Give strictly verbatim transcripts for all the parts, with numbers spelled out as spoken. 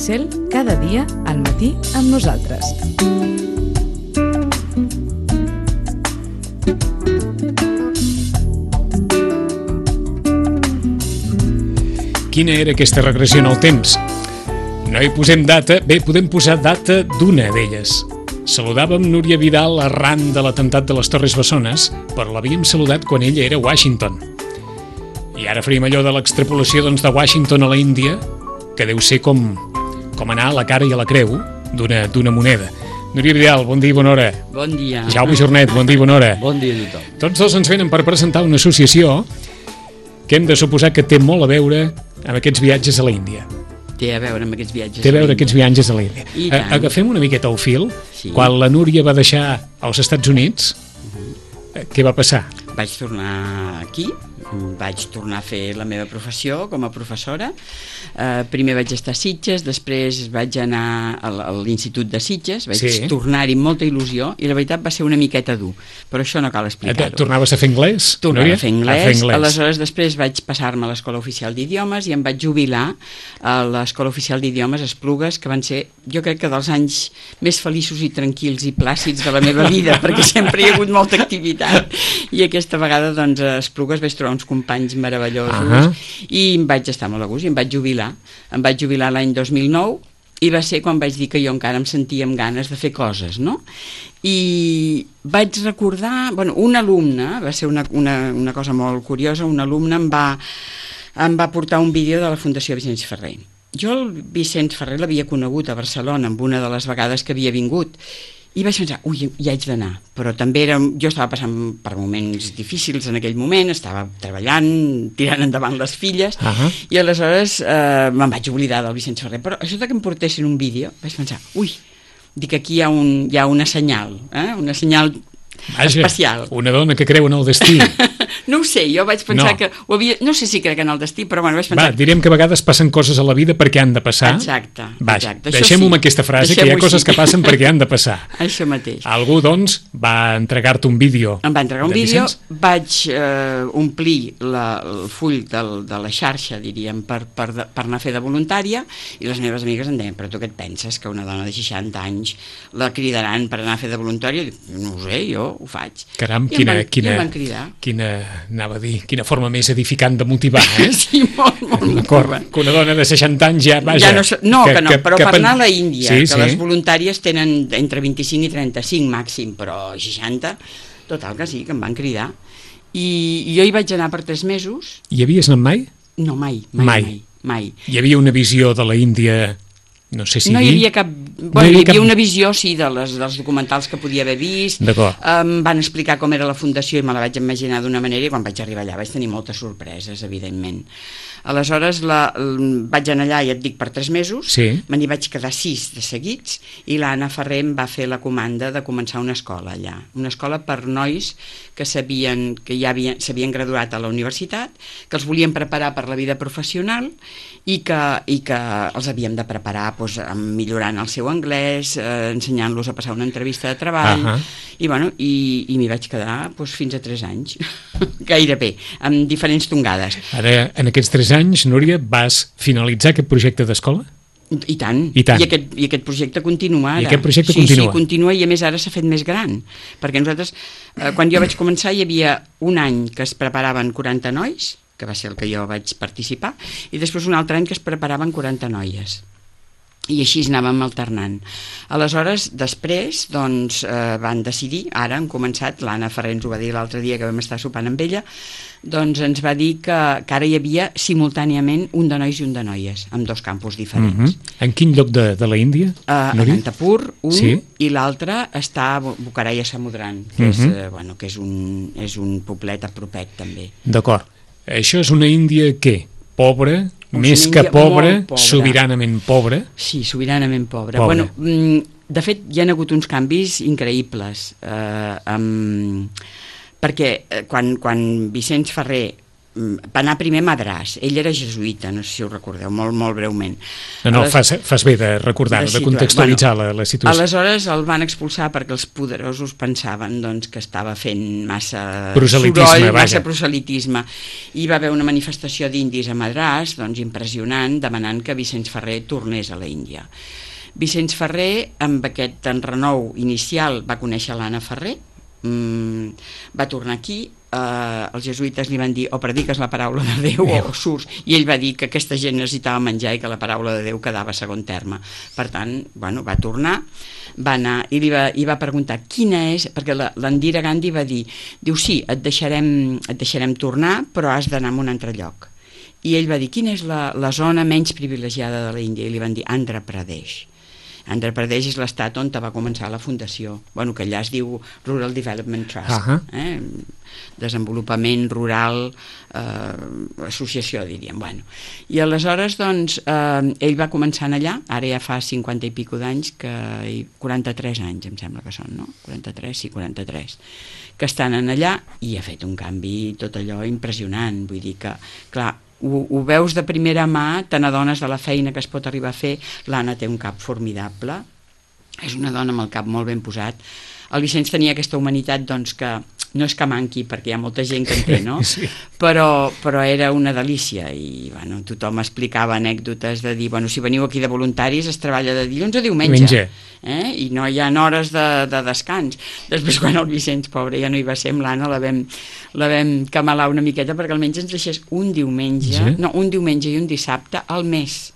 Cel, cada dia al matí amb nosaltres. Quina era aquesta regressió en el temps? No hi posem data, bé, podem posar data d'una d'elles. Saludàvem Núria Vidal arran de l'atemptat de les Torres Bessones, però l'havíem saludat quan ella era a Washington. I ara faríem allò de l'extrapolació doncs, de Washington a la Índia, que deu ser com, com anar a la cara i a la creu d'una d'una moneda. Núria Vidal, bon dia i bona hora. Bon dia. Jaume Jornet, bon dia i bona hora. Bon dia a tothom. Tots dos ens venen per presentar una associació que hem de suposar que té molt a veure amb aquests viatges a la Índia. Té a veure amb aquests viatges Té a veure aquests viatges a la Índia. I tant. Agafem una miqueta el fil. Sí. Quan la Núria va deixar als Estats Units, uh-huh. què va passar? Vaig tornar aquí, vaig tornar a fer la meva professió com a professora. Uh, primer vaig estar a Sitges, després vaig anar a l'Institut de Sitges, vaig Sí. tornar-hi amb molta il·lusió i la veritat va ser una miqueta dur, però això no cal explicar-ho. Tornaves a fer anglès? Tornava Núria? a fer anglès, a fer anglès. Aleshores després vaig passar-me a l'Escola Oficial d'Idiomes i em vaig jubilar a l'Escola Oficial d'Idiomes a Esplugues, que van ser, jo crec que dels anys més feliços i tranquils i plàcids de la meva vida, perquè sempre hi ha hagut molta activitat, i aquesta vegada doncs a Esplugues vaig trobar uns companys meravellosos uh-huh. i em vaig estar molt a gust i em vaig jubilar. Em vaig jubilar l'any dos mil nou i va ser quan vaig dir que jo encara em sentia amb ganes de fer coses, no? I vaig recordar, bueno, un alumne, va ser una, una, una cosa molt curiosa, un alumne em va, em va portar un vídeo de la Fundació Vicenç Ferrer. Jo el Vicenç Ferrer l'havia conegut a Barcelona en una de les vegades que havia vingut i vaig pensar, ui, hi haig d'anar, però també era, jo estava passant per moments difícils en aquell moment, estava treballant, tirant endavant les filles, uh-huh. i aleshores eh, me'n vaig oblidar del Vicenç Ferrer, però això de que em portessin un vídeo, vaig pensar, ui, dic, aquí hi ha, un, hi ha una senyal, eh? una senyal Vaja, especial. Una dona que creu en el destí. No ho sé, jo vaig pensar no. que ho havia, no sé si crec en el destí, però bueno, vaig pensar... Va, direm que a vegades passen coses a la vida perquè han de passar. Exacte. Vaja, exacte. deixem-ho sí. amb aquesta frase, que hi ha coses sí. que passen perquè han de passar. Això mateix. Algú, doncs, va entregar-te un vídeo. Em va entregar un vídeo, vaig eh, omplir la, el full del, de la xarxa, diríem, per, per, per anar a fer de voluntària, i les meves amigues em deien, però tu què et penses, que una dona de seixanta anys la cridaran per anar a fer de voluntària? No ho sé, jo ho faig. Caram, I quina, em van, quina, quina, quina, anava a dir, quina forma més edificant de motivar, eh? Sí, molt, molt. D'acord, que una dona de seixanta anys ja, vaja... Ja no, no, que, que no, però que, per anar a la Índia, sí, que sí. les voluntàries tenen entre vint-i-cinc i trenta-cinc màxim, però seixanta, total que sí, que em van cridar. I, i jo hi vaig anar per tres mesos. Hi havies anat mai? No, mai, mai, mai. mai, mai. Hi havia una visió de la Índia... No sé si no hi havia cap... No bueno, hi havia, hi havia cap... una visió, sí, de les, dels documentals que podia haver vist. D'acord. Em van explicar com era la fundació i me la vaig imaginar d'una manera i quan vaig arribar allà vaig tenir moltes sorpreses, evidentment. Aleshores la, vaig anar allà, ja et dic, per tres mesos, sí. me n'hi vaig quedar sis de seguits i l'Anna Ferrer em va fer la comanda de començar una escola allà. Una escola per nois que s'havien que ja s'havien graduat a la universitat, que els volien preparar per la vida professional i que, i que els havíem de preparar doncs, millorant el seu anglès, eh, ensenyant-los a passar una entrevista de treball, uh-huh. i, bueno, i, i m'hi vaig quedar doncs, fins a tres anys, gairebé, amb diferents tongades. Ara, en aquests tres anys, Núria, vas finalitzar aquest projecte d'escola? I tant, I, tant. I, aquest, i aquest projecte continua ara. I aquest projecte sí, continua. Sí, continua i a més ara s'ha fet més gran, perquè nosaltres, eh, quan jo vaig començar hi havia un any que es preparaven quaranta nois, que va ser el que jo vaig participar, i després un altre any que es preparaven quaranta noies. I així anàvem alternant. Aleshores, després, doncs, eh, van decidir, ara han començat, l'Anna Ferrer ens ho va dir l'altre dia que vam estar sopant amb ella, doncs ens va dir que, que ara hi havia simultàniament un de nois i un de noies, amb dos campus diferents. Uh-huh. En quin lloc de, de la Índia? Uh, a Nantapur, un, sí. i l'altre està a Bucaraya Samudran, que, uh-huh. és, eh, bueno, que és, un, és un poblet a propet, també. D'acord. Això és una Índia, què? Pobra? Més que pobra, sobiranament pobra? Sí, sobiranament pobra. pobra. Bueno, de fet, hi ha hagut uns canvis increïbles, eh, amb... perquè quan, quan Vicenç Ferrer va anar primer a Madràs. Ell era jesuïta, no sé si ho recordeu, molt, molt breument. No, no, Les... fas, fas bé de recordar, de, de contextualitzar bueno, la, la situació. Aleshores el van expulsar perquè els poderosos pensaven doncs, que estava fent massa proselitisme, soroll, vaja. massa proselitisme. I va haver una manifestació d'indis a Madràs, doncs impressionant, demanant que Vicenç Ferrer tornés a la Índia. Vicenç Ferrer, amb aquest enrenou inicial, va conèixer l'Anna Ferrer, mmm, va tornar aquí, Uh, els jesuïtes li van dir o prediques la paraula de Déu o surts, i ell va dir que aquesta gent necessitava menjar i que la paraula de Déu quedava a segon terme. Per tant, bueno, va tornar, va anar i li va, i va preguntar quina és, perquè l'Indira Gandhi va dir, diu sí, et deixarem, et deixarem tornar, però has d'anar a un altre lloc. I ell va dir, quina és la, la zona menys privilegiada de l'Índia? I li van dir, Andhra Pradesh. Andhra Pradesh és l'estat on va començar la fundació, bueno, que allà es diu Rural Development Trust, uh -huh. eh? Desenvolupament rural, eh, associació, diríem. Bueno. I aleshores, doncs, eh, ell va començar allà, ara ja fa cinquanta i pico d'anys, que quaranta-tres anys, em sembla que són, no? quaranta-tres, sí, quaranta-tres, que estan en allà, i ha fet un canvi tot allò impressionant, vull dir que, clar, Ho, ho veus de primera mà, te n'adones de la feina que es pot arribar a fer. L'Anna té un cap formidable, és una dona amb el cap molt ben posat. El Vicenç tenia aquesta humanitat, doncs, que no és que manqui, perquè hi ha molta gent que en té, no? Sí. Però, però era una delícia, i bueno, tothom explicava anècdotes de dir, bueno, si veniu aquí de voluntaris es treballa de dilluns a diumenge, eh? I no hi ha hores de, de descans. Després, quan el Vicenç, pobre, ja no hi va ser, amb l'Anna la vam, la vam camalar una miqueta perquè almenys ens deixés un diumenge, sí? no, un diumenge i un dissabte al mes,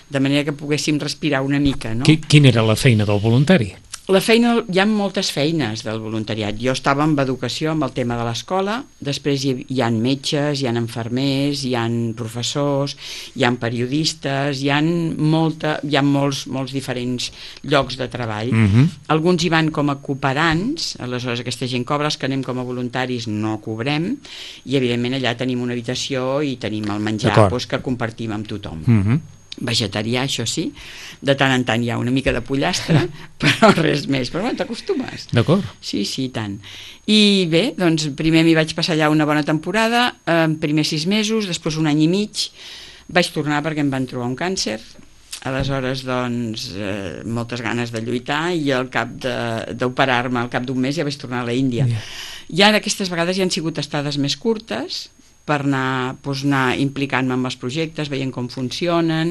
de manera que poguéssim respirar una mica, no? Quina era la feina del voluntari? La feina, hi ha moltes feines del voluntariat. Jo estava amb educació, amb el tema de l'escola, després hi, hi ha metges, hi ha infermers, hi ha professors, hi ha periodistes, hi ha, molta, hi ha molts, molts diferents llocs de treball. Uh-huh. Alguns hi van com a cooperants, aleshores aquesta gent cobra, els que anem com a voluntaris no cobrem, i evidentment allà tenim una habitació i tenim el menjar doncs, que compartim amb tothom. Uh-huh. Vegetarià, això sí, de tant en tant hi ha una mica de pollastre, però res més, però bueno, t'acostumes. D'acord. Sí, sí, tant. I bé, doncs primer m'hi vaig passar allà una bona temporada, eh, primer sis mesos, després un any i mig, vaig tornar perquè em van trobar un càncer, aleshores doncs eh, moltes ganes de lluitar, i al cap d'operar-me al cap d'un mes ja vaig tornar a la Índia. Yeah. I ara aquestes vegades ja han sigut estades més curtes, per anar, doncs, anar implicant-me amb els projectes, veient com funcionen,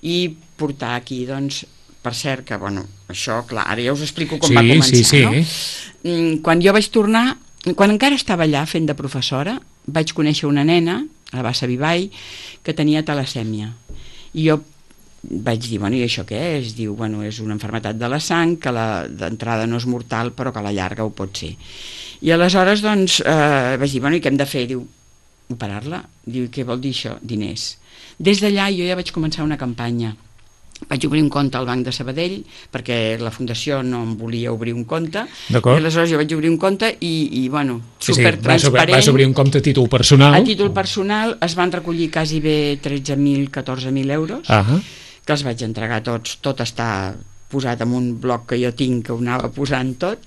i portar aquí, doncs, per cert, que, bueno, això, clar, ara ja us explico com sí, va començar, sí, sí. no? Quan jo vaig tornar, quan encara estava allà fent de professora, vaig conèixer una nena, a la Bassa Vivai, que tenia talassèmia. I jo vaig dir, bueno, i això què és? Diu, bueno, és una malaltia de la sang, que d'entrada no és mortal, però que a la llarga ho pot ser. I aleshores, doncs, eh, vaig dir, bueno, i què hem de fer? Diu, operar-la. Diu, què vol dir això? Diners. Des d'allà jo ja vaig començar una campanya. Vaig obrir un compte al Banc de Sabadell, perquè la Fundació no em volia obrir un compte, i aleshores jo vaig obrir un compte i, i bueno, supertransparent. Sí, sí, vas obrir un compte a títol personal. A títol personal es van recollir quasi bé tretze mil, catorze mil euros, uh-huh. que els vaig entregar tots, tot està posat en un bloc que jo tinc, que ho anava posant tot,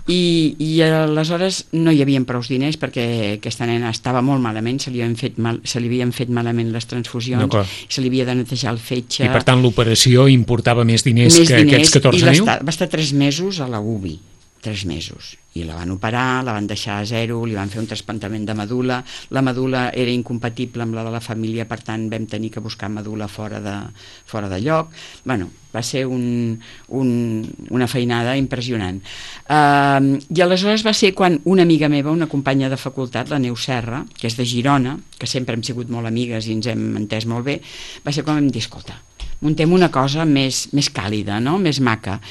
I, i aleshores no hi havia prou diners perquè aquesta nena estava molt malament, se li havien fet, mal, se li havien fet malament les transfusions, se li havia de netejar el fetge, i per tant l'operació importava més diners més que diners, aquests catorze mil? Va estar tres mesos a la U B I, tres mesos, i la van operar, la van deixar a zero, li van fer un trasplantament de medul·la, la medul·la era incompatible amb la de la família, per tant vam tenir que buscar medul·la fora de, fora de lloc. Bueno, va ser un, un, una feinada impressionant. Uh, I aleshores va ser quan una amiga meva, una companya de facultat, la Neus Serra, que és de Girona, que sempre hem sigut molt amigues i ens hem entès molt bé, va ser quan vam dir, escolta, muntem una cosa més, més càlida, no? Més maca.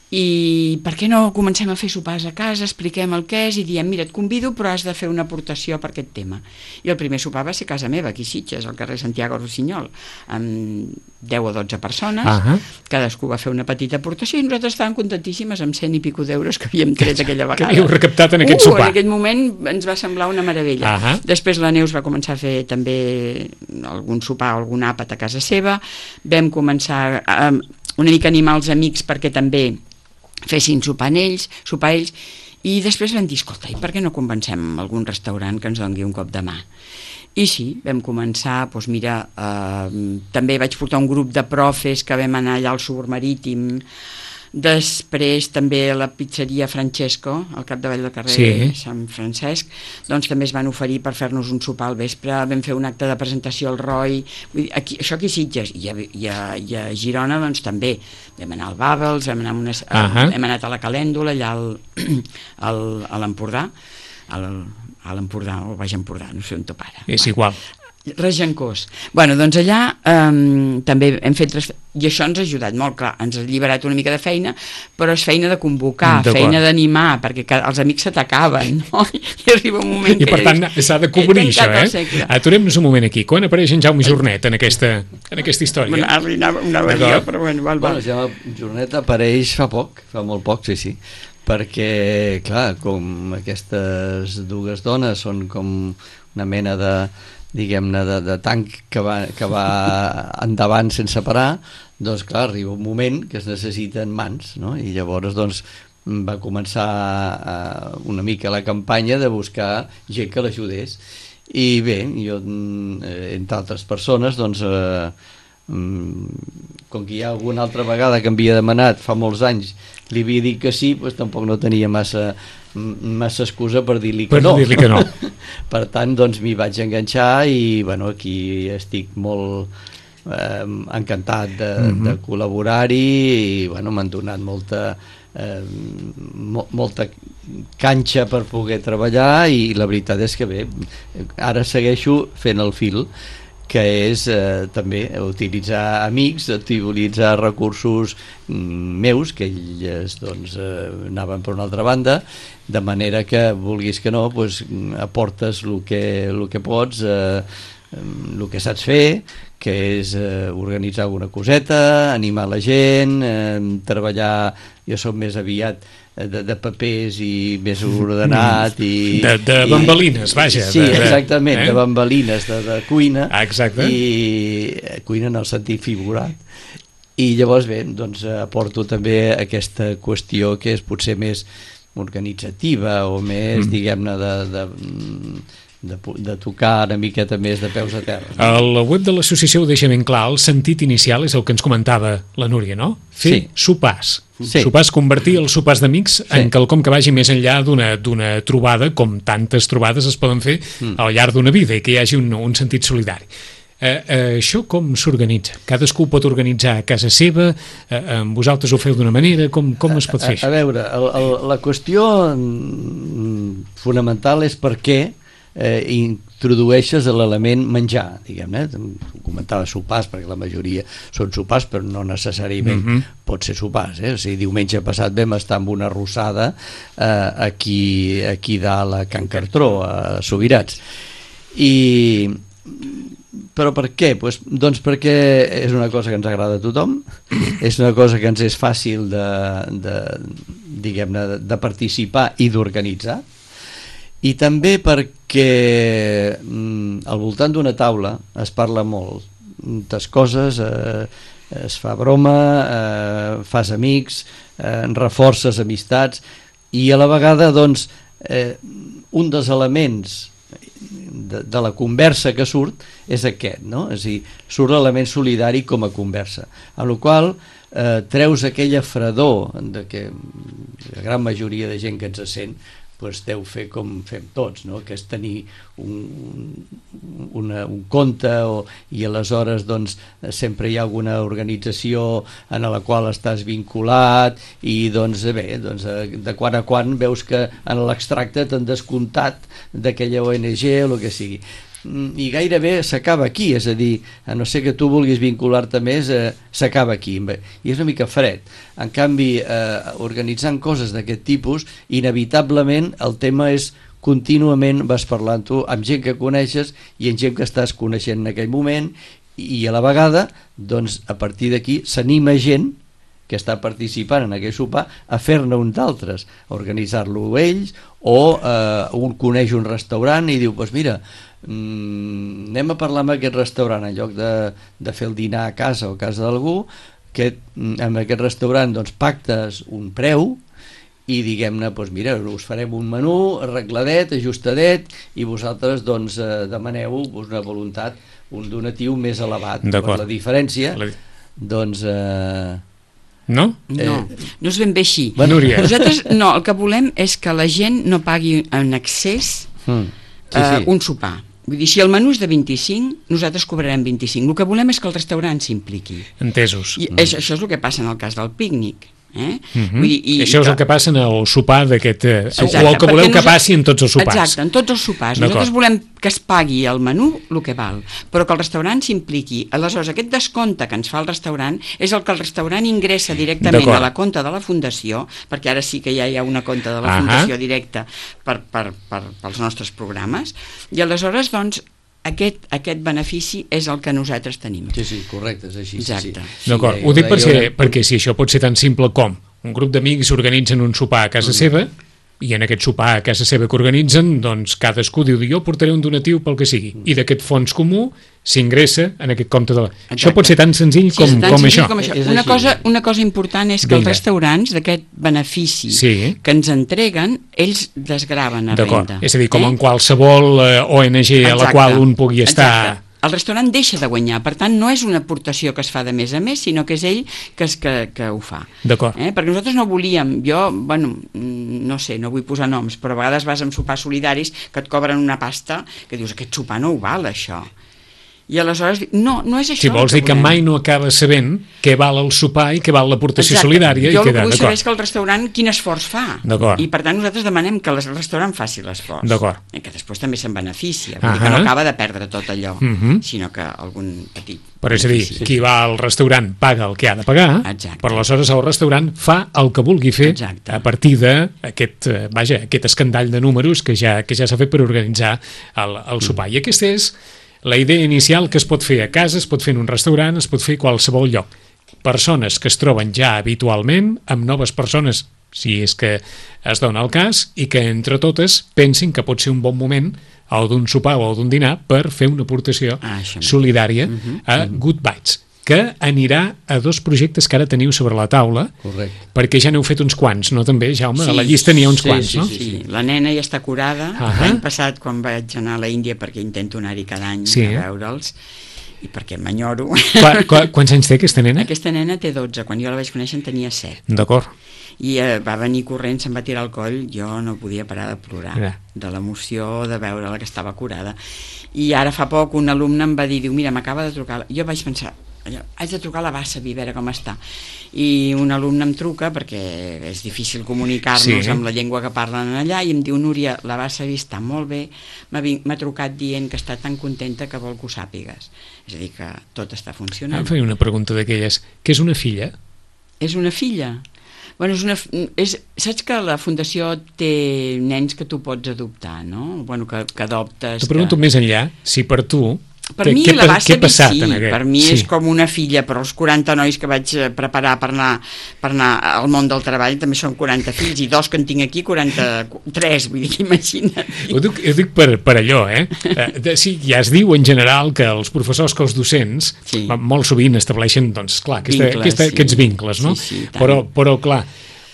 I per què no comencem a fer sopars a casa, expliquem el que és i diem, mira, et convido però has de fer una aportació per aquest tema. I el primer sopar va ser a casa meva, aquí a Sitges, al carrer Santiago Rossinyol, amb deu o dotze persones, uh-huh. cadascú va fer una petita aportació i nosaltres estàvem contentíssimes amb cent i pico d'euros que havíem tret aquella vegada. Que havíeu recaptat en aquest uh, sopar. En aquell moment ens va semblar una meravella. Uh-huh. Després la Neus va començar a fer també algun sopar o algun àpat a casa seva, vam començar a, una mica a animar els amics perquè també fessin sopar ells, sopar ells, i després vam dir, escolta, i per què no convencem algun restaurant que ens doni un cop de mà? I sí, vam començar, doncs mira, eh, també vaig portar un grup de profes que vam anar allà al Suburmarítim. Després també a la pizzeria Francesco, al capdavall del carrer sí. Sant Francesc, doncs també es van oferir per fer-nos un sopar al vespre, vam fer un acte de presentació al Roy, vull dir, aquí, això aquí a Sitges, i a, i, a, i a Girona doncs també, vam anar al Babels, vam anar a unes, uh -huh. hem anat a la Calèndula, allà al, al, a l'Empordà, al, a l'Empordà, o al Baix Empordà, no sé on top ara. És igual. Regencós. Bueno, doncs allà um, també hem fet... Tres... I això ens ha ajudat molt, clar, ens ha alliberat una mica de feina, però és feina de convocar, feina d'animar, perquè els amics se t'acaben, no? I arriba un moment I que... per tant s'ha de cobrir això, eh? Aturem-nos un moment aquí. Quan apareix en Jaume Jornet en aquesta, en aquesta història? Bueno, ara anava, anava jo, però bueno, val, val. Bueno, Jaume Jornet apareix fa poc, fa molt poc, sí, sí, perquè, clar, com aquestes dues dones són com una mena de diguem-ne, de, de tanc que va, que va endavant sense parar, doncs clar, arriba un moment que es necessiten mans, no? I llavors doncs va començar uh, una mica la campanya de buscar gent que l'ajudés. I bé, jo, entre altres persones, doncs, uh, com que hi ha alguna altra vegada que m'havia demanat fa molts anys, li havia dit que sí, doncs tampoc no tenia massa massa excusa per dir-li que, no. dir que no. Per tant, doncs m'hi vaig enganxar i bueno, aquí estic molt eh, encantat de, mm-hmm. de col·laborar-hi i bueno, m'han donat molta eh, mo, molta canxa per poder treballar i la veritat és que bé, ara segueixo fent el fil que és eh, també utilitzar amics, utilitzar recursos meus, que ells doncs, eh, anaven per una altra banda, de manera que, vulguis que no, pues, aportes el que, el que pots, eh, el que saps fer, que és eh, organitzar alguna coseta, animar la gent, eh, treballar, jo soc més aviat de, de papers i més ordenat i, de, de bambalines, vaja, sí, de, exactament, eh? de bambalines de, de cuina, ah, exacte. I cuina en el sentit figurat i llavors bé, doncs aporto també aquesta qüestió que és potser més organitzativa o més, mm. diguem-ne de, de De, de tocar una miqueta més de peus a terra. No? El web de l'associació ho deixa ben clar, el sentit inicial és el que ens comentava la Núria, no? Fer sí. sopars. Sí. Sopars, convertir els sopars d'amics sí. en quelcom que vagi més enllà d'una d'una trobada, com tantes trobades es poden fer mm. al llarg d'una vida i que hi hagi un, un sentit solidari. Eh, eh, això com s'organitza? Cadascú pot organitzar a casa seva, eh, vosaltres ho feu d'una manera, com, com es pot fer a, això? A veure, el, el, la qüestió fonamental és per què eh, introdueixes l'element menjar, diguem-ne, comentava sopars, perquè la majoria són sopars, però no necessàriament mm-hmm. pot ser sopars, eh? O sigui, diumenge passat vam estar amb una arrossada eh, aquí, aquí dalt a Can Cartró, a Subirats, i però per què? Pues, doncs perquè és una cosa que ens agrada a tothom, és una cosa que ens és fàcil de, de, diguem-ne, de participar i d'organitzar, i també perquè mm, al voltant d'una taula es parla moltes coses, eh, es fa broma, eh, fas amics, eh, reforces amistats, i a la vegada doncs, eh, un dels elements de, de la conversa que surt és aquest, no? És a dir, surt l'element solidari com a conversa, amb la qual eh, treus aquella fredor de que la gran majoria de gent que ens sent pues, deu fer com fem tots, no? Que és tenir un, una, un compte o, i aleshores doncs, sempre hi ha alguna organització en la qual estàs vinculat i doncs, bé, doncs, de quan a quan veus que en l'extracte t'han descomptat d'aquella O N G o el que sigui. I gairebé s'acaba aquí, és a dir, a no ser que tu vulguis vincular-te més, eh, s'acaba aquí, i és una mica fred. En canvi, eh, organitzant coses d'aquest tipus, inevitablement el tema és contínuament vas parlant-ho amb gent que coneixes i amb gent que estàs coneixent en aquell moment, i a la vegada, doncs, a partir d'aquí s'anima gent que està participant en aquell sopar a fer-ne un d'altres, a organitzar-lo ells, o eh, un coneix un restaurant i diu, doncs mira, Mm, anem a parlar amb aquest restaurant en lloc de, de fer el dinar a casa o a casa d'algú, que amb aquest restaurant doncs, pactes un preu i diguem-ne, doncs mira, us farem un menú arregladet, ajustadet, i vosaltres doncs eh, demaneu una voluntat, un donatiu més elevat. Per la diferència, la... doncs... Eh, no? No, no és ben bé així. Bueno, nosaltres no, el que volem és que la gent no pagui en excés mm. sí, sí. Uh, un sopar. Vull dir, si el menú és de vint-i-cinc, nosaltres cobrarem vint-i-cinc. El que volem és que el restaurant s'impliqui. Entesos. I mm. això, això és el que passa en el cas del pícnic. Eh? Mm-hmm. Vull dir, i, això és el que passa en el sopar d'aquest... Sí, o el que voleu que passi en tots els sopars. Exacte, en tots els sopars. Nosaltres volem que es pagui el menú el que val, però que el restaurant s'impliqui. Aleshores, aquest descompte que ens fa el restaurant és el que el restaurant ingressa directament a la compta de la fundació, perquè ara sí que ja hi ha una compta de la fundació directa per, per, per, pels nostres programes, i aleshores, doncs, Aquest, aquest benefici és el que nosaltres tenim. Sí, sí, correcte, és així. Exacte. Sí, sí. D'acord, ho dic per ser, perquè si això pot ser tan simple com un grup d'amics s'organitzen un sopar a casa mm. seva, i en aquest sopar a casa seva que organitzen, doncs cadascú diu, jo portaré un donatiu pel que sigui, mm. i d'aquest fons comú s'ingressa en aquest compte de la... Exacte. Això pot ser tan senzill com, sí, tan com, senzill això. com això. Una cosa, una cosa important és que Vinga. els restaurants d'aquest benefici sí. que ens entreguen, ells desgraven a renda. És a dir, com eh? en qualsevol eh, O N G Exacte. a la qual un pugui estar... Exacte. El restaurant deixa de guanyar, per tant no és una aportació que es fa de més a més, sinó que és ell que, es, que, que ho fa. D'acord. Eh? Perquè nosaltres no volíem, jo, bueno, no sé, no vull posar noms, però a vegades vas amb sopars solidaris que et cobren una pasta que dius, aquest sopar no ho val, això. I aleshores, no, no és això. Si vols dir que mai no acabes sabent què val el sopar i què val l'aportació solidària. Jo el que vull saber és que el restaurant quin esforç fa. D'acord. I per tant nosaltres demanem que el restaurant faci l'esforç. D'acord. I que després també se'n beneficia. Vull dir que no acaba de perdre tot allò, uh -huh. sinó que algun petit... Però és a dir, qui va al restaurant paga el que ha de pagar, Exacte. però aleshores el restaurant fa el que vulgui fer Exacte. a partir d'aquest vaja, aquest escandall de números que ja, que ja s'ha fet per organitzar el, el sopar. I aquesta és la idea inicial que es pot fer a casa, es pot fer en un restaurant, es pot fer a qualsevol lloc. Persones que es troben ja habitualment amb noves persones, si és que es dona el cas, i que entre totes pensin que pot ser un bon moment o d'un sopar o d'un dinar per fer una aportació ah, solidària uh-huh. a Good Bites, que anirà a dos projectes que ara teniu sobre la taula. Correcte. Perquè ja n'heu fet uns quants, no també, Jaume? Sí, a la llista n'hi ha uns sí, quants, sí, no? Sí, sí, la nena ja està curada. Uh-huh. L'any passat, quan vaig anar a la Índia, perquè intento anar-hi cada any sí. a veure'ls, i perquè m'enyoro. Qua, qua, quants anys té aquesta nena? Aquesta nena té dotze, quan jo la vaig conèixer en tenia set. D'acord. I eh, va venir corrent, se'm va tirar al coll, jo no podia parar de plorar, ja. de l'emoció de veure-la que estava curada. I ara fa poc un alumne em va dir, diu, mira, m'acaba de trucar, jo vaig pensar, haig de trucar a la Bassavi, a veure com està. I un alumne em truca, perquè és difícil comunicar-nos sí. amb la llengua que parlen allà, i em diu, Núria, la Bassavi està molt bé, m'ha trucat dient que està tan contenta que vol que ho sàpigues. És a dir, que tot està funcionant. Em feia una pregunta d'aquelles, què és una filla? És una filla? Bueno, és una, és, saps que la Fundació té nens que tu pots adoptar, no? Bueno, que, que adoptes... T'ho pregunto que... més enllà, si per tu... Per mi què, la Bassavi sí, aquest? per mi sí. és com una filla, però els quaranta nois que vaig preparar per anar, per anar al món del treball també són quaranta fills, i dos que en tinc aquí, quaranta-tres, vull dir, imagina't. Ho dic, ho dic per, per allò, eh? De, sí, ja es diu en general que els professors, que els docents, sí. molt sovint estableixen, doncs, clar, aquesta, vincles, aquesta, sí. aquests vincles, no? Sí, sí, però, però, clar,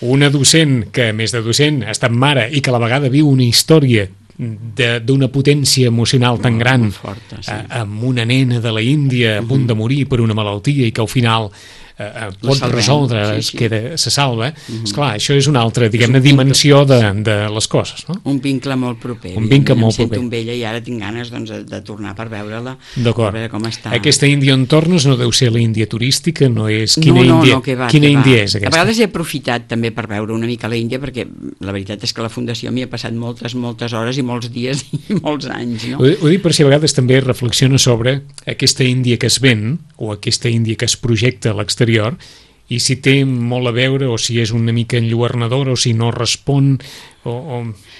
una docent que, a més de docent, ha estat mare i que a la vegada viu una història d'una potència emocional tan gran, forta, sí. amb una nena de la Índia a punt de morir per una malaltia i que al final eh, pot resoldre, sí, sí. Es queda, se salva, mm-hmm. esclar, això és una altra, diguem-ne, dimensió de, de les coses, no? Un vincle molt proper. Un vincle molt proper. proper. Em sento amb ella i ara tinc ganes doncs, de tornar per veure-la, per veure com està. Aquesta Índia on tornes no deu ser la Índia turística, no és... Quina no, no, Índia, no, que va, quina que Índia va. és aquesta? A vegades he aprofitat també per veure una mica la Índia, perquè la veritat és que la Fundació m'hi ha passat moltes, moltes hores i molts dies i molts anys, no? Ho, ho dic per si a vegades també reflexiona sobre aquesta Índia que es ven o aquesta Índia que es projecta a l'exterior, i si té molt a veure o si és una mica enlluernadora o si no respon o, o...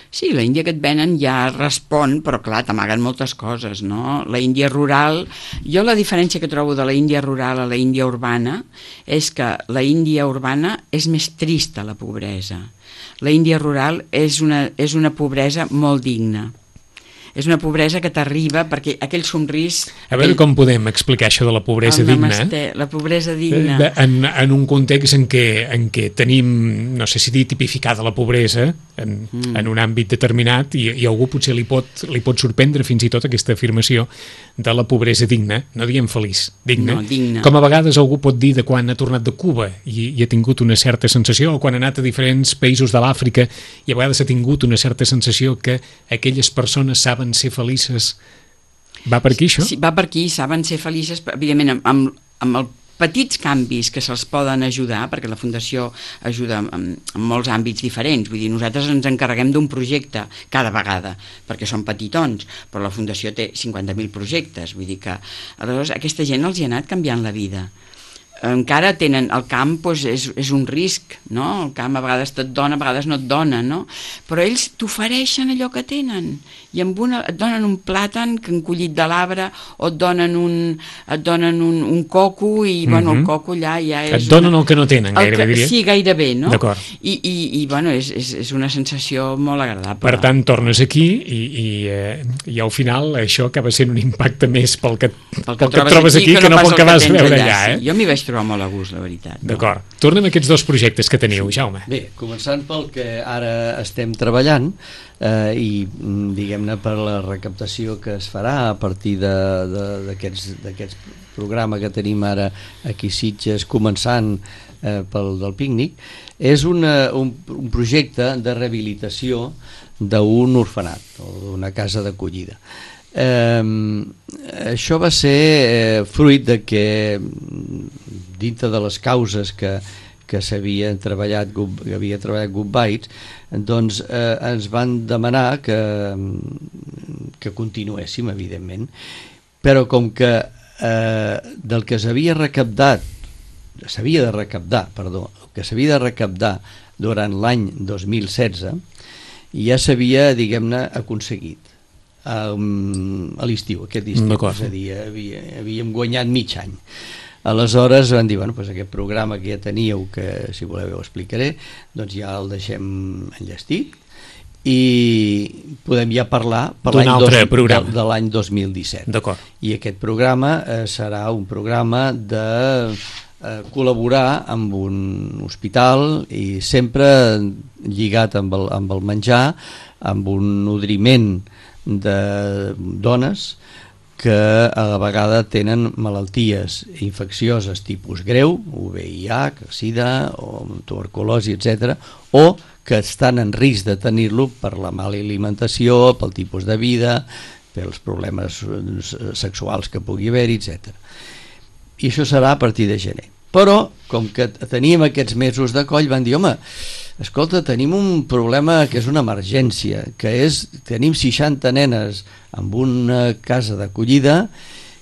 Sí, la Índia que et venen ja respon, però clar, t'amaguen moltes coses, no? La Índia rural, jo la diferència que trobo de la Índia rural a la Índia urbana és que la Índia urbana és més trista, la pobresa. La Índia rural és una, és una pobresa molt digna. és una pobresa que t'arriba perquè aquell somrís... A veure aquell... com podem explicar això de la pobresa el digna. Namasté, la pobresa digna. En, en un context en què, en què tenim, no sé si dir tipificada la pobresa en, mm. en un àmbit determinat i, i algú potser li pot, li pot sorprendre fins i tot aquesta afirmació de la pobresa digna, no diem feliç, digna. No, digna. Com a vegades algú pot dir de quan ha tornat de Cuba i, i ha tingut una certa sensació, o quan ha anat a diferents països de l'Àfrica i a vegades ha tingut una certa sensació que aquelles persones saben ser felices. Va per aquí, això? Sí, va per aquí, saben ser felices, evidentment, amb, amb els petits canvis que se'ls poden ajudar, perquè la Fundació ajuda en, en molts àmbits diferents. Vull dir, nosaltres ens encarreguem d'un projecte cada vegada, perquè són petitons, però la Fundació té cinquanta mil projectes. Vull dir que, aleshores, aquesta gent els hi ha anat canviant la vida. Encara tenen, el camp doncs, és, és un risc, no? El camp a vegades et dona, a vegades no et dona, no? Però ells t'ofereixen allò que tenen i amb una, et donen un plàtan que han collit de l'arbre o et donen un, et donen un, un coco i, mm-hmm. bueno, el coco allà ja és... Et donen una... el que no tenen, gairebé, que, diria. Sí, gairebé, no? D'acord. I, i, i bueno, és, és, és una sensació molt agradable. Per tant, tornes aquí i, i, eh, i al final això acaba sent un impacte més pel que, pel que, pel que et trobes aquí, aquí que, que no pel que vas veure allà, allà eh? Sí. Jo m'hi vaig trobar molt a gust, la veritat. D'acord. No? Tornem a aquests dos projectes que teniu, Jaume. Bé, començant pel que ara estem treballant eh, i diguem-ne per la recaptació que es farà a partir d'aquests programes que tenim ara aquí a Sitges, començant eh, pel del pícnic, és una, un, un projecte de rehabilitació d'un orfenat o d'una casa d'acollida. Eh, això va ser eh, fruit de que dintre de les causes que, que s'havia treballat que havia treballat Good Bites, doncs eh, ens van demanar que, que continuéssim, evidentment, però com que eh, del que s'havia recaptat s'havia de recaptar, perdó, que s'havia de recaptar durant l'any dos mil setze ja s'havia, diguem-ne, aconseguit Um, a l'estiu, aquest estiu, és a dir, havia, havíem guanyat mig any. Aleshores van dir, bueno, doncs aquest programa que ja teníeu, que si voleu ho explicaré, doncs ja el deixem enllestit i podem ja parlar per l'any dos, de, de l'any dos mil disset. I aquest programa eh, serà un programa de eh, col·laborar amb un hospital i sempre lligat amb el, amb el menjar, amb un nodriment de dones que a la vegada tenen malalties infeccioses tipus greu, U V I H, sida o tuberculosi, etcètera, o que estan en risc de tenir-lo per la mala alimentació, pel tipus de vida, pels problemes sexuals que pugui haver-hi, etcètera. I això serà a partir de gener. Però, com que teníem aquests mesos de coll, van dir, home, escolta, tenim un problema que és una emergència, que és, tenim seixanta nenes en una casa d'acollida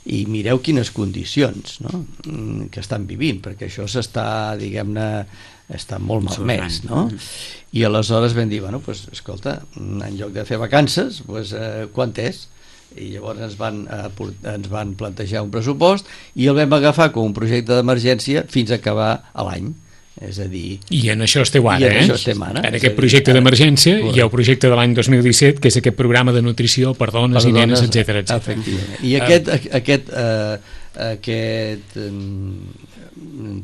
i mireu quines condicions, no?, que estan vivint, perquè això s'està, diguem-ne, està molt malmès, no? I aleshores vam dir, bueno, pues, escolta, en lloc de fer vacances, pues, eh, quant és? I llavors ens van, eh, ens van plantejar un pressupost i el vam agafar com un projecte d'emergència fins a acabar l'any. És a dir... I en això esteu ara, en eh? Això estem ara. En aquest projecte d'emergència hi ha el projecte de l'any dos mil disset, que és aquest programa de nutrició per dones per i nenes, etcètera, etcètera. Efectivament. I aquest, aquest, eh, aquest eh,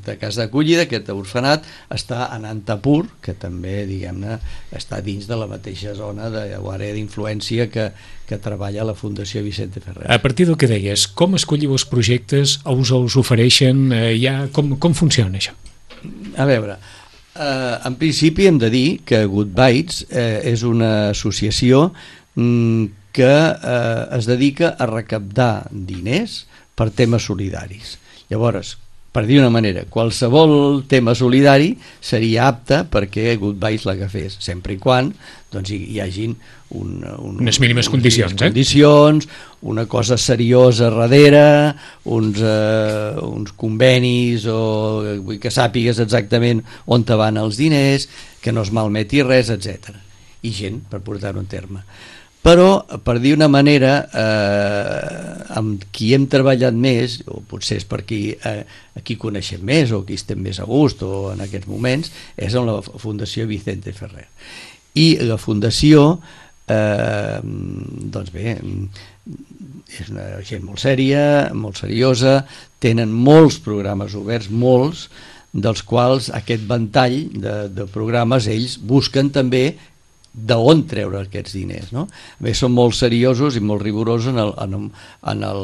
de casa d'acollida, aquest orfenat, està a Nantapur, que també, diguem-ne, està dins de la mateixa zona de, o àrea d'influència que, que treballa la Fundació Vicente Ferrer. A partir del que deies, com escolliu els projectes, us els ofereixen, eh, ja, com, com funciona això? A veure, eh, en principi hem de dir que Good Bites eh, és una associació mm, que eh, es dedica a recaptar diners per temes solidaris. Llavors, per dir una manera, qualsevol tema solidari seria apte perquè Good Bites l'agafés, sempre i quan doncs, hi, hi hagin un, un, unes mínimes un, condicions, unes condicions eh? una cosa seriosa darrere, uns, eh, uns convenis, o vull que sàpigues exactament on te van els diners, que no es malmeti res, etcètera. I gent, per portar-ho en terme. Però, per dir una manera, eh, amb qui hem treballat més, o potser és per qui, eh, a qui coneixem més, o qui estem més a gust, o en aquests moments, és amb la Fundació Vicente Ferrer. I la Fundació eh, doncs bé, és una gent molt sèria, molt seriosa, tenen molts programes oberts, molts, dels quals aquest ventall de, de programes ells busquen també d'on treure aquests diners, no? Bé, són molt seriosos i molt rigorosos en el, en el, en el,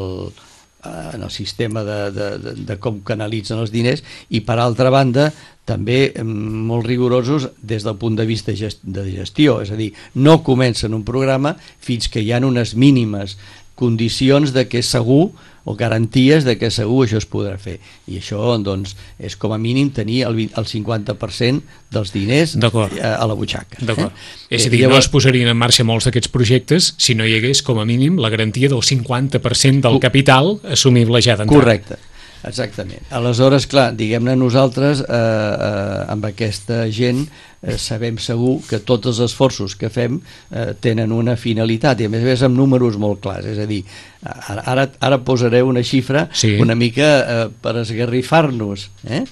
en el sistema de, de, de, de com canalitzen els diners, i per altra banda també molt rigorosos des del punt de vista de gestió, és a dir, no comencen un programa fins que hi ha unes mínimes condicions de que segur, o garanties de que segur això es podrà fer, i això doncs és com a mínim tenir el, el cinquanta per cent dels diners a, a la butxaca. D'acord. Eh? És a dir, llavors, no es posarien en marxa molts d'aquests projectes si no hi hagués com a mínim la garantia del cinquanta per cent del capital assumible ja d'entrada. Correcte. Exactament. Aleshores, clar, diguem-ne, nosaltres eh, eh, amb aquesta gent eh, sabem segur que tots els esforços que fem eh, tenen una finalitat, i a més a més amb números molt clars, és a dir, ara, ara posaré una xifra sí. una mica eh, per esgarrifar-nos, eh?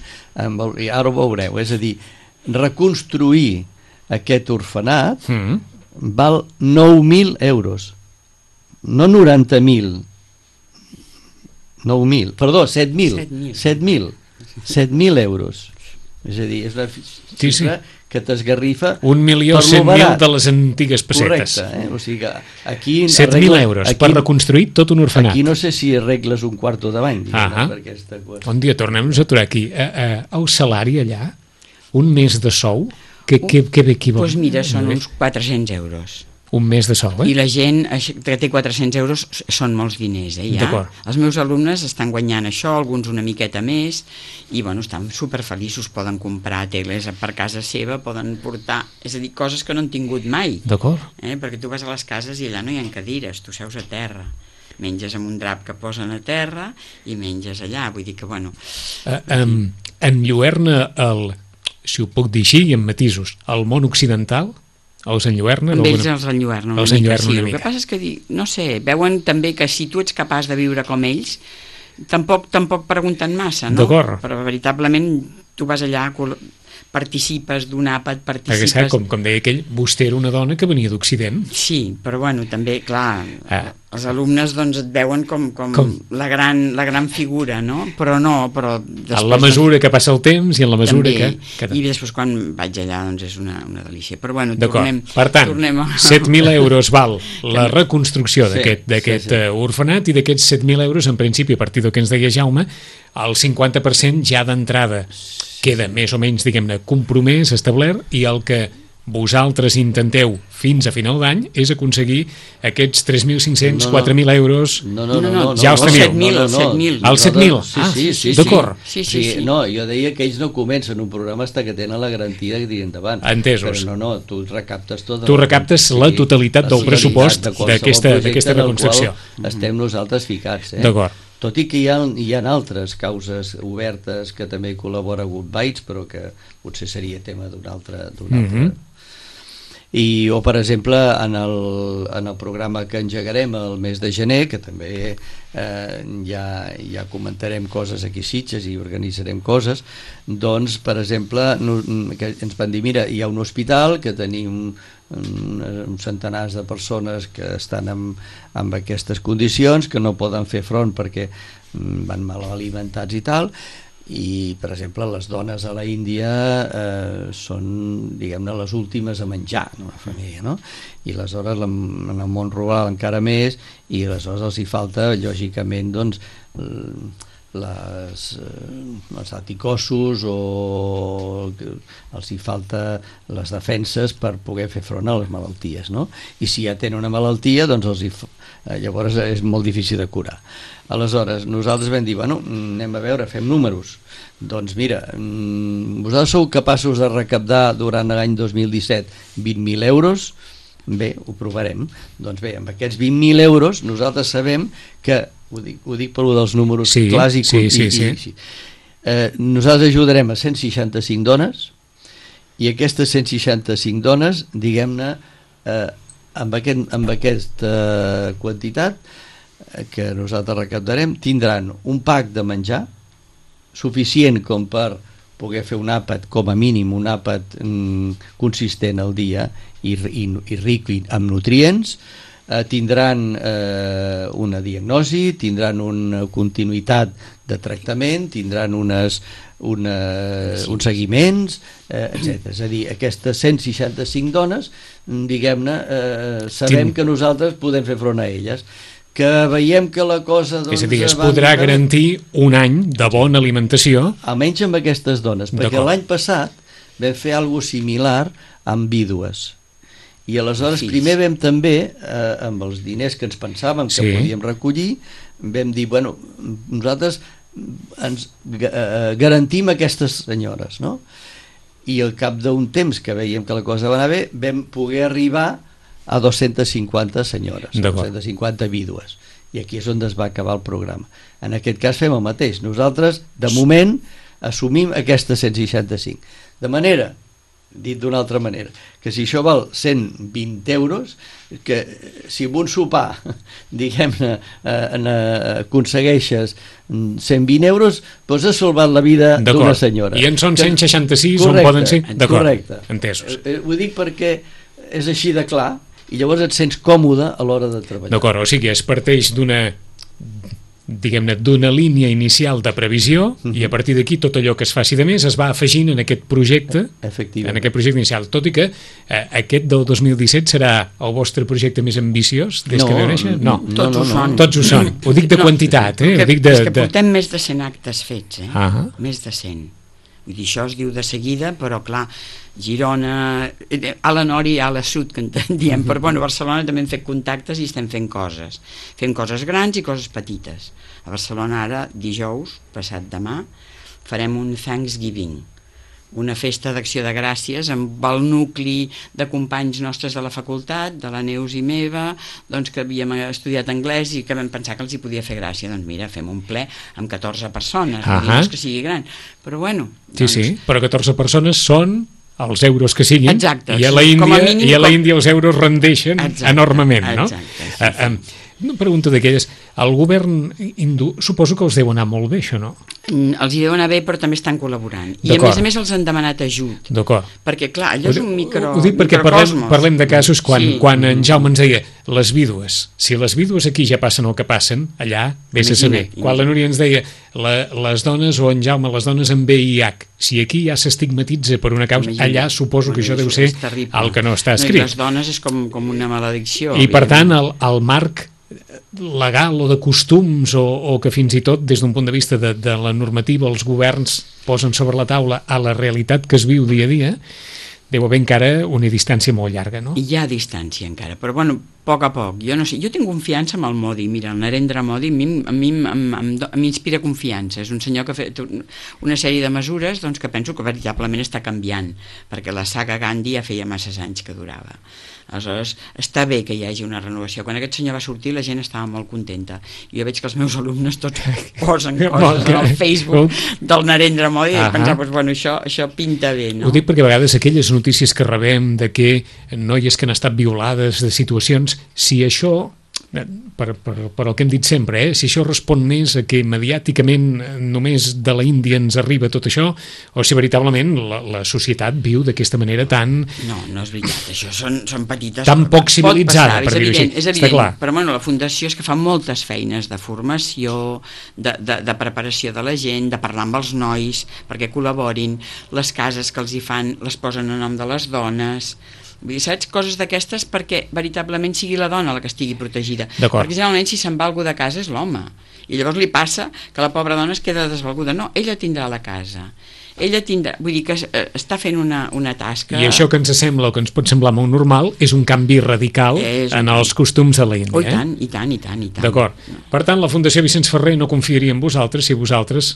I ara ho veureu, és a dir, reconstruir aquest orfenat mm. val nou mil euros, no noranta mil, nou mil, perdó, set mil, set mil, set mil euros. És a dir, és una xifra sí, sí. que t'esgarrifa un milió cent mil de les antigues pessetes. Correcte, eh? O sigui que aquí set mil euros aquí, per reconstruir tot un orfenat. Aquí no sé si arregles un quarto de bany. Ah per aquesta cosa. Bon dia, tornem-nos a aturar aquí. Uh, uh, el salari allà, un mes de sou, què ve aquí? Doncs pues mira, són uns quatre-cents euros. Un mes de sou, eh? I la gent que té quatre-cents euros són molts diners, eh, ja. Els meus alumnes estan guanyant això, alguns una miqueta més, i bueno, estan superfeliços, poden comprar teles per casa seva, poden portar, és a dir, coses que no han tingut mai. D'acord. Eh, perquè tu vas a les cases i allà no hi ha cadires, tu seus a terra. Menges amb un drap que posen a terra i menges allà, vull dir que, bueno... Uh, um, enlluerna el, si ho puc dir així, i en matisos, el món occidental... Els enlluernen? Amb ells els enlluernen una, els mica, sí. una El que passa és que, no sé, veuen també que si tu ets capaç de viure com ells, tampoc, tampoc pregunten massa, no? D'acord. Però veritablement tu vas allà, participes d'un àpat, participes... Perquè, com, com deia aquell, vostè era una dona que venia d'Occident. Sí, però bueno, també, clar, ah. els alumnes doncs et veuen com, com, com? La, gran, la gran figura, no? Però no, però... En la mesura doncs, que passa el temps i en la mesura també, que, que... I després quan vaig allà doncs és una, una delícia. Però bueno, tornem... Per tant, tornem a... set mil euros val la reconstrucció d'aquest sí, sí, sí. orfenat, i d'aquests set mil euros, en principi, a partir del que ens deia Jaume, el cinquanta per cent ja d'entrada queda més o menys, diguem-ne, compromès, establert, i el que vosaltres intenteu fins a final d'any és aconseguir aquests tres mil cinc-cents, quatre mil euros. No, no, no, no, ja els teniu. set mil, el set mil. El set mil? Sí, sí, sí. D'acord. Sí, sí, sí. No, jo deia que ells no comencen un programa fins que tenen la garantia que tiri endavant. Entesos. Però no, no, tu recaptes tot. Tu recaptes la totalitat del pressupost d'aquesta reconstrucció. Estem nosaltres ficats, eh? D'acord. Tot i que hi ha, hi ha altres causes obertes que també col·labora Good Bites, però que potser seria tema d'un altre... D'un altre. Mm-hmm. I, o per exemple en el, en el programa que engegarem el mes de gener, que també eh, ja, ja comentarem coses aquí a Sitges i organitzarem coses, doncs per exemple no, que ens van dir, mira, hi ha un hospital que tenim uns centenars de persones que estan amb, amb aquestes condicions, que no poden fer front perquè van mal alimentats i tal, i per exemple les dones a la Índia eh, són, diguem-ne, les últimes a menjar, no? La família, no? I aleshores en el món rural encara més, i aleshores els hi falta lògicament doncs les, els anticossos, o els hi falta les defenses per poder fer front a les malalties, no? I si ja tenen una malaltia, doncs els hi, llavors és molt difícil de curar. Aleshores nosaltres vam dir, bueno, anem a veure, fem números. Doncs mira, vosaltres sou capaços de recaptar durant l'any dos mil disset vint mil euros? Bé, ho provarem. Doncs bé, amb aquests vint mil euros nosaltres sabem que, ho dic, ho dic per lo dels números sí, clàssics, sí, sí, i, sí. i, sí. Eh, nosaltres ajudarem a cent seixanta-cinc dones, i aquestes cent seixanta-cinc dones, diguem-ne, eh, amb, aquest, amb aquesta quantitat que nosaltres recaptarem, tindran un pack de menjar suficient com per poder fer un àpat, com a mínim un àpat mm, consistent al dia i, i, i ric amb nutrients, eh, tindran eh, una diagnosi, tindran una continuïtat de tractament, tindran unes, una, uns seguiments, eh, etcètera. És a dir, aquestes cent seixanta-cinc dones, diguem-ne, eh, sabem Quin... que nosaltres podem fer front a elles. Que veiem que la cosa... Doncs, és a dir, es podrà de... garantir un any de bona alimentació. Almenys amb aquestes dones, perquè l'any passat vam fer alguna cosa similar amb vídues. I aleshores Fills. primer vam també, eh, amb els diners que ens pensàvem que sí. podíem recollir, vam dir, bueno, nosaltres ens eh, garantim aquestes senyores, no? I al cap d'un temps que veiem que la cosa va anar bé, vam poder arribar a dos-centes cinquanta senyores, dos-centes cinquanta vídues, i aquí és on es va acabar el programa. En aquest cas fem el mateix, nosaltres de moment assumim aquestes cent seixanta-cinc, de manera, dit d'una altra manera, que si això val cent vint euros, que si amb un sopar, diguem-ne, eh, aconsegueixes cent vint euros, doncs has salvat la vida d'una senyora. I en són cent seixanta-sis on poden ser? D'acord, entesos. Eh, ho dic perquè és així de clar, i llavors et sents còmode a l'hora de treballar. D'acord, o sigui, es parteix d'una diguem-ne, d'una línia inicial de previsió uh-huh. i a partir d'aquí tot allò que es faci de més es va afegint en aquest projecte en aquest projecte inicial, tot i que eh, aquest del dos mil disset serà el vostre projecte més ambiciós des no, que veu néixer? No, no, tots no, no, ho són. Tots ho són, ho dic de no, quantitat, eh? Que, ho dic de, és que portem de... més de cent actes fets, eh? Uh-huh. Més de cent. Vull dir, això es diu de seguida, però clar, Girona, a la nord i a la sud, que en diem, però bueno, a Barcelona també hem fet contactes i estem fent coses. Fem coses grans i coses petites. A Barcelona ara, dijous, passat demà, farem un Thanksgiving, una festa d'acció de gràcies amb el nucli de companys nostres de la facultat, de la Neus i meva, doncs que havíem estudiat anglès i que vam pensar que els hi podia fer gràcia. Doncs mira, fem un ple amb catorze persones, uh-huh. no és que sigui gran, però bueno. Sí, doncs... sí, però catorze persones són els euros que siguin. Exacte, i a la Índia, mínim, i a la Índia com... els euros rendeixen exacte, enormement, no? Exacte, sí, sí. Uh, um, una pregunta d'aquelles, el govern hindú suposo que els deu anar molt bé, això, no? Mm, els hi deu anar bé, però també estan col·laborant. I a més a més els han demanat ajut. D'acord. Perquè clar, allò és un micro, ho dic perquè parlem, parlem de casos quan, sí. quan en Jaume ens deia les vídues, si les vídues aquí ja passen el que passen, allà vés a saber. Imagina. Quan la Núria ens deia la, les dones, o en Jaume, les dones amb V I H, si aquí ja s'estigmatitza per una causa, imagina. Allà suposo bueno, que això deu ser el que no està escrit. No, les dones és com, com una maledicció. I per tant el, el marc legal o de costums o, o que fins i tot des d'un punt de vista de, de la normativa els governs posen sobre la taula a la realitat que es viu dia a dia, deu haver encara una distància molt llarga, no? Hi ha distància encara, però bueno, a poc a poc. Jo no sé, jo tinc confiança amb el Modi. Mira, el Narendra Modi a mi m'inspira confiança. És un senyor que ha fet una sèrie de mesures doncs, que penso que veritablement està canviant, perquè la saga Gandhi ja feia masses anys que durava. Aleshores, està bé que hi hagi una renovació. Quan aquest senyor va sortir la gent estava molt contenta. Jo veig que els meus alumnes tots posen coses al Facebook del Narendra Modi i pensar, doncs, bueno, això, això pinta bé, no? Ho dic perquè a vegades aquelles notícies que rebem de que noies que han estat violades, de situacions, si això, per, per, per el que hem dit sempre, eh, si això respon més a que mediàticament només de la Índia ens arriba tot això, o si veritablement la, la societat viu d'aquesta manera tan... No, no és veritat, això són, són petites... Tan poc civilitzada, per dir-ho així. És evident, però bueno, la Fundació és que fa moltes feines de formació, de, de, de preparació de la gent, de parlar amb els nois perquè col·laborin, les cases que els hi fan les posen a nom de les dones... Vull dir, saps? Coses d'aquestes perquè veritablement sigui la dona la que estigui protegida. Perquè generalment si se'n va algú de casa és l'home. I llavors li passa que la pobra dona es queda desvalguda. No, ella tindrà la casa. Ella tindrà... Vull dir que està fent una, una tasca... I això que ens sembla o que ens pot semblar molt normal és un canvi radical en canvi. Els costums de l'Índia. Oh, i tant, i tant, i tant, i tant. D'acord. Per tant, la Fundació Vicenç Ferrer no confiaria en vosaltres si vosaltres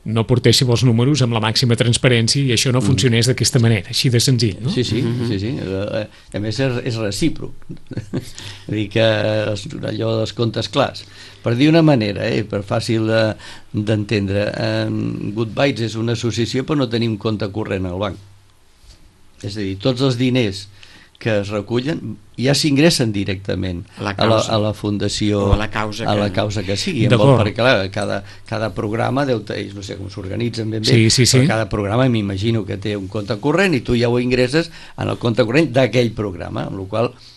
no portéssiu els números amb la màxima transparència i això no funcionés d'aquesta manera, així de senzill, no? Sí, sí, mm-hmm. sí, sí. A més és, és recíproc. Vull dir que allò dels comptes clars. Per dir una manera, eh, per fàcil eh, d'entendre, eh, Good Bytes és una associació però no tenim compte corrent al banc. És a dir, tots els diners que es recullen ja s'ingressen directament a la, a la, a la fundació o a la causa que, a la causa que sigui, vol, perquè clar, cada, cada programa deu tenir, no sé com s'organitzen ben bé, sí, sí, sí. però cada programa m'imagino que té un compte corrent i tu ja ho ingresses en el compte corrent d'aquell programa, amb la qual cosa,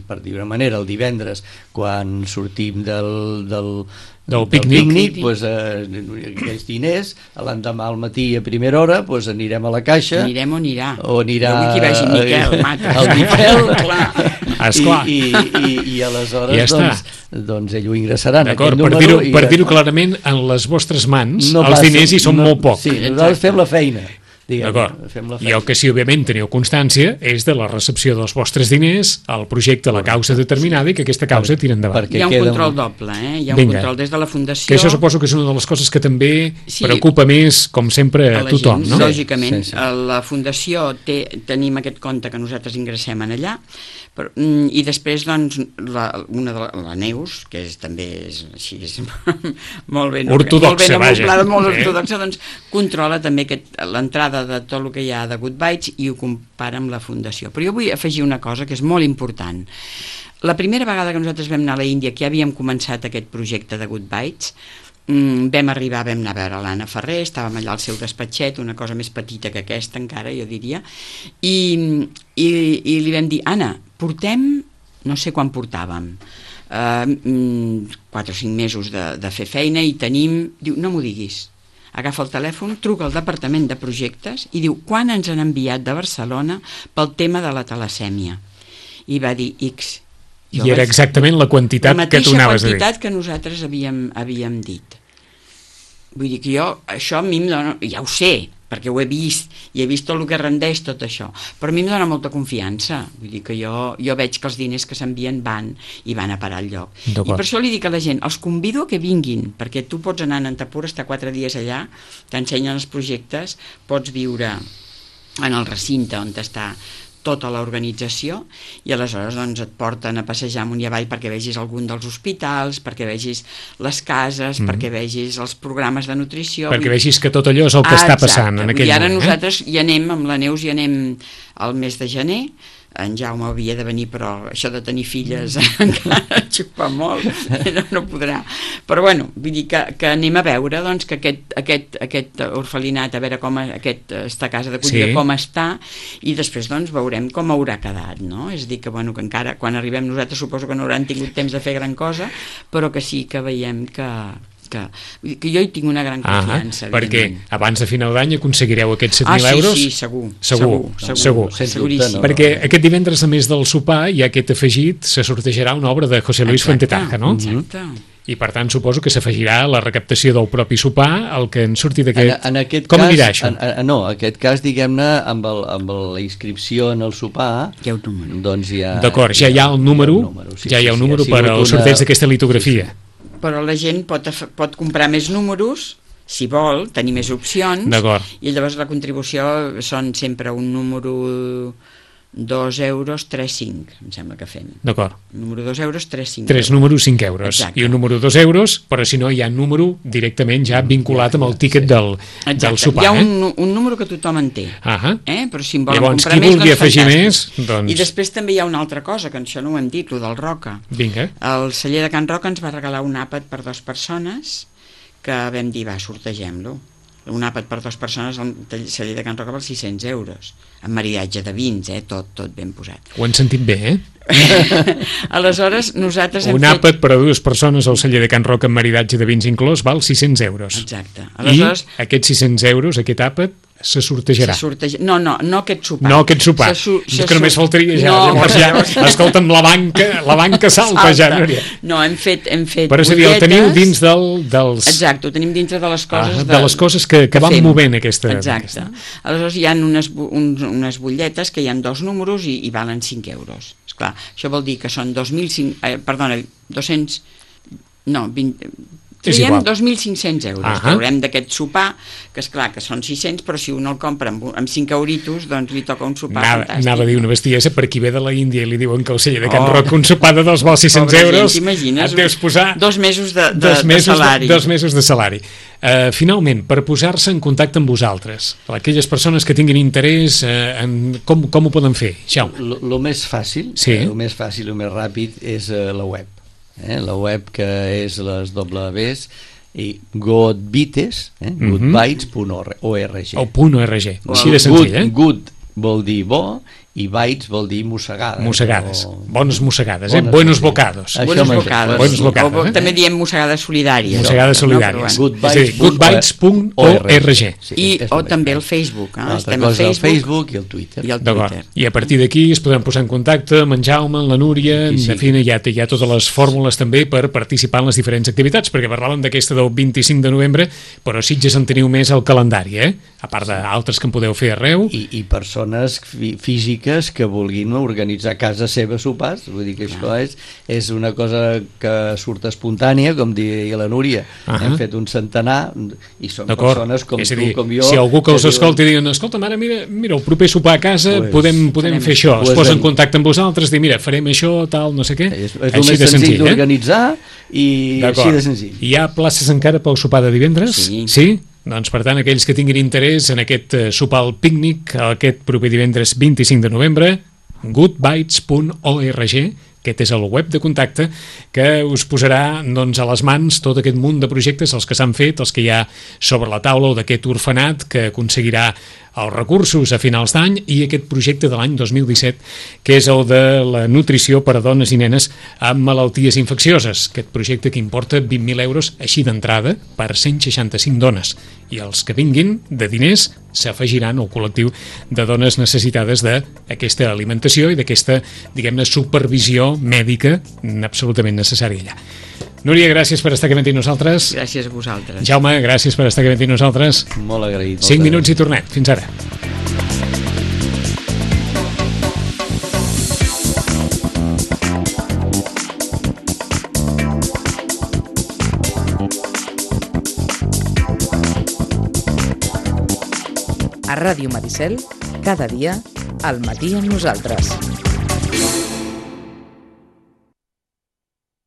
per dir una manera, el divendres quan sortim del, del, del del pícnic, pícnic pues, eh, aquells diners l'endemà al matí a primera hora pues, anirem a la caixa, anirem o anirà o anirà jo vull que hi vagi Miquel Mata el Miquel Esclar. I, i, i, i aleshores ja doncs, doncs ell ho ingressarà en d'acord, aquest per número dir-ho per dir clarament, en les vostres mans no els passa, diners hi són no, molt poc. sí, nosaltres fem la feina. D'acord, i el que sí, òbviament, teniu constància és de la recepció dels vostres diners al projecte, a la causa determinada i que aquesta causa tira endavant. Hi ha un control doble, eh? Hi ha un control des de la Fundació... Que això suposo que és una de les coses que també sí, preocupa més, com sempre, a tothom, gent, no? Lògicament, sí, sí. la Fundació té, tenim aquest compte que nosaltres ingressem en allà, però, i després, doncs, la, una de la, la Neus, que és, també és així, és molt ben ortodoxa, molt ben vaja. molt eh? ortodoxa, doncs controla també l'entrada de tot el que hi ha de Good Bites i ho compara amb la Fundació. Però jo vull afegir una cosa que és molt important. La primera vegada que nosaltres vam anar a la Índia, que ja havíem començat aquest projecte de Good Bites, vam arribar, vam anar a veure l'Anna Ferrer, estàvem allà al seu despatxet, una cosa més petita que aquesta encara, jo diria, i, i, i li vam dir, Anna, portem, no sé quan portàvem, uh, quatre o cinc mesos de, de fer feina i tenim, diu, no m'ho diguis, agafa el telèfon, truca al departament de projectes i diu, quan ens han enviat de Barcelona pel tema de la talasèmia? I va dir X. Jo I era vaig... exactament la quantitat que tu anaves a dir. La mateixa quantitat que nosaltres havíem, havíem dit. Vull dir que jo, això a mi em dona, ja ho sé, perquè ho he vist, i he vist tot el que rendeix tot això, però a mi em dona molta confiança, vull dir que jo, jo veig que els diners que s'envien van i van a parar al lloc. I per això li dic a la gent, els convido a que vinguin, perquè tu pots anar a Nantapur, estar quatre dies allà, t'ensenyen els projectes, pots viure en el recinte on està tota l'organització i aleshores doncs, et porten a passejar amunt i avall perquè vegis algun dels hospitals, perquè vegis les cases, mm. perquè vegis els programes de nutrició. Perquè vegis que tot allò és el que ah, està passant en aquell moment. I ara moment, nosaltres eh? hi anem, amb la Neus hi anem al mes de gener, en Jaume havia de venir, però això de tenir filles encara xupa molt, no, no podrà. Però bueno, vull dir que, que anem a veure doncs, que aquest, aquest, aquest orfelinat, a veure com aquest, esta casa d'acollida, sí. com està, i després doncs veurem com haurà quedat, no? És a dir, que, bueno, que encara quan arribem nosaltres suposo que no hauran tingut temps de fer gran cosa, però que sí que veiem que... Que, que jo hi tinc una gran confiança. Ah, perquè abans de final d'any aconseguireu aquests set mil ah, sí, euros? sí, segur. Segur, segur. segur. Seguríssim. No? Perquè aquest divendres, a més del sopar, hi ha aquest afegit, se sortejarà una obra de José Luis Fuentetaja, no? Exacte. I per tant suposo que s'afegirà la recaptació del propi sopar el que en surti d'aquest... En, en aquest Com cas, anirà això? En, en, no, en aquest cas, diguem-ne, amb, el, amb la inscripció en el sopar... Hi ha un número. Doncs hi ha... D'acord, ja hi ha el número, ja hi ha, número, sí, ja hi ha un número sí, per al sorteig una... d'aquesta litografia. Sí, sí. Però la gent pot, pot comprar més números, si vol, tenir més opcions, i llavors la contribució són sempre un número dos euros, tres, cinc, em sembla que fem. D'acord. Número dos euros, tres, cinc. Tres números, cinc euros. Exacte. I un número dos euros, però si no hi ha número directament ja vinculat amb el tíquet del, del sopar. Hi ha un, un número que tothom en té, uh-huh. eh? Però si en volen llavors, comprar més, doncs afegir fantàstic. Més, doncs... I després també hi ha una altra cosa, que això no ho hem dit, el del Roca. Vinga. El celler de Can Roca ens va regalar un àpat per dues persones que vam dir, va, sortegem-lo. Un àpat per dues persones al celler de Can Roca per sis-cents euros, amb maridatge de vins, eh? tot, tot ben posat. Ho han sentit bé, eh? Aleshores, nosaltres hem un fet... àpat per a dues persones al celler de Can Roca amb maridatge de vins inclòs val sis-cents euros. Exacte. Aleshores... I aquests sis-cents euros, aquest àpat, se sortejarà. Se sorteja... No, no, no aquest sopar. No aquest sopar. Se su... se que només faltaria ja. No, llavors ja, llavors... escolta'm, la banca, la banca salta, salta. ja, Núria. No, hem fet, hem fet però és a dir, el teniu dins del, dels... Exacte, ho tenim dintre de les coses... Ah, de, de les coses que, que, que van fem. movent aquesta... Exacte. Aquesta. Aleshores hi ha unes, uns, unes butlletes que hi ha dos números i, i valen cinc euros. Esclar, això vol dir que són dos mil cinc... Eh, perdona, dos-cents... No, vint... Traiem igual. dos mil cinc-cents euros, Ahà. traurem d'aquest sopar, que és clar que són sis-cents, però si un el compra amb, amb cinc euritos, doncs li toca un sopar Anava, fantàstic. anava a dir una bestiesa, per qui ve de la Índia i li diuen que el celler de Can Oh. Roc un sopar de dos vols sis-cents Pobra gent, euros, t'imagines? et deus posar Dos mesos de, de, dos mesos de salari. De, dos mesos de salari. Uh, finalment, per posar-se en contacte amb vosaltres, aquelles persones que tinguin interès, uh, en com, com ho poden fer? Jaume. El més fàcil, Sí. el més fàcil, el més ràpid és uh, la web. Eh? La web que és les doble Bs i goodbytes, eh? Mhm. goodbytes punt org. O punt .org, Wow. així de senzill, eh? Good, good vol dir bo i bytes vol dir mossegades. Mossegades, O... bones mossegades, eh? Bones Buenos mossegades. bocados. Això Buenos m'agrada. bocades. Buenos sí. bocades, O, eh? també diem mossegades solidàries. Mossegades No, però solidàries. bueno. És a dir, goodbytes punt org. Sí, I, és o el més també el fàcil. Facebook. Eh? L'altra Estem a cosa, el Facebook, Facebook i el Twitter. i el D'acord. Twitter. I a partir d'aquí es podran posar en contacte amb en Jaume, amb la Núria, en Qui sigui. definitiva, hi ha, hi ha totes les fórmules també per participar en les diferents activitats, perquè parlàvem d'aquesta del vint-i-cinc de novembre, però Sitges en teniu més al calendari, eh? A part d'altres que en podeu fer arreu. I, i persones fí- físiques que vulguin organitzar a casa seva sopars, vull dir que això és, és una cosa que surt espontània, com diria la Núria. Ahà. Hem fet un centenar i són D'acord. persones com És a tu, dir, com jo... si algú que us diuen- escolti diuen, escolta, mare, mira, mira, el proper sopar a casa Pues, podem, podem farem fer això, es Pues posa en en- contacte amb vosaltres, dir, mira, farem això, tal, no sé què. És, és el més senzill d'organitzar i D'acord. així de senzill. Hi ha places encara pel sopar de divendres? Sí. Sí? Doncs, per tant, aquells que tinguin interès en aquest eh, sopar al pícnic, aquest proper divendres vint-i-cinc de novembre, goodbytes punt org, aquest és el web de contacte que us posarà doncs, a les mans tot aquest munt de projectes, els que s'han fet, els que hi ha sobre la taula, o d'aquest orfenat que aconseguirà els recursos a finals d'any, i aquest projecte de l'any dos mil disset, que és el de la nutrició per a dones i nenes amb malalties infeccioses. Aquest projecte que importa vint mil euros així d'entrada per cent seixanta-cinc dones. I els que vinguin de diners s'afegiran al col·lectiu de dones necessitades d'aquesta alimentació i d'aquesta, diguem-ne, supervisió mèdica absolutament necessària allà. Núria, gràcies per estar aquí amb nosaltres. Gràcies a vosaltres. Jaume, gràcies per estar aquí amb nosaltres. Molt agraït. cinc Moltes minuts i tornem. Fins ara. A Ràdio Maricel, cada dia, al matí amb nosaltres.